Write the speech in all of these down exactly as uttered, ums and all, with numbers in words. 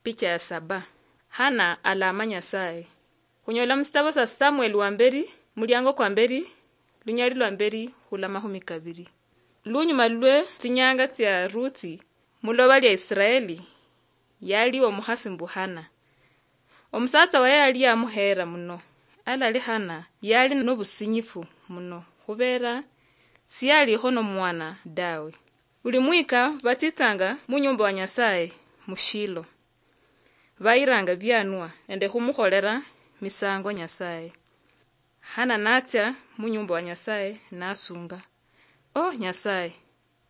Picha ya saba. Hana alama Nyasaye. Khunyola musitabo sa Samueli wa mberi, muliango kwa mberi, lunyali lwa mberi khula mahumi kabiri. Lunyuma lwe tsinyanga tsia Ruthi, muloba lia Israeli, yaliwo omukhasi mbu Hana. Omusatsa waye yali yamuheera muno, alali Hana yali nobusinyifu muno, khubeera siyalikho nomwana dawe. Buli mwika batsitsanga munyumba wa Nyasaye mu Shilo. Bayiranga bianwa nende khumukholera misango Nyasaye. Hana natsia munyumba wa Nyasaye nasunga, "O Nyasaye,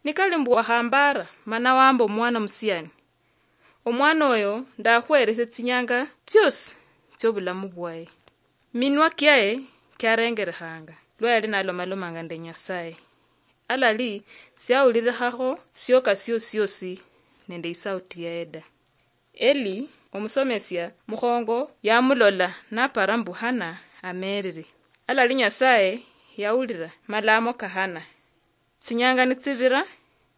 nikali mbu wakhambara mana wamba omwana musiani, omwana oyo ndakhweresia tsinyanga tsiosi tsiobulamu bwaye." Minwa kiaye kiarengerekhanga lwa yali nalomalomanga nende Nyasaye. Alali siawulirikhakho sioka siosi siosi nende isauti yaye da. Eli, omusomesia mukhongo, yamulola napara mbu Hana amerere. Alali Nyasaye yawulira malamo ka Hana. Tsinyanga nitsibira,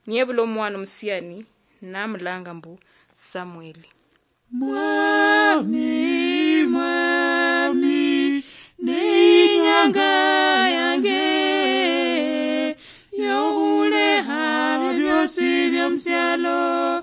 niyebula omwana omusiani, namulanga mbu Samueli. Mwami, Mwami, ne inyanga yange yokhulekha biosi biomusialo.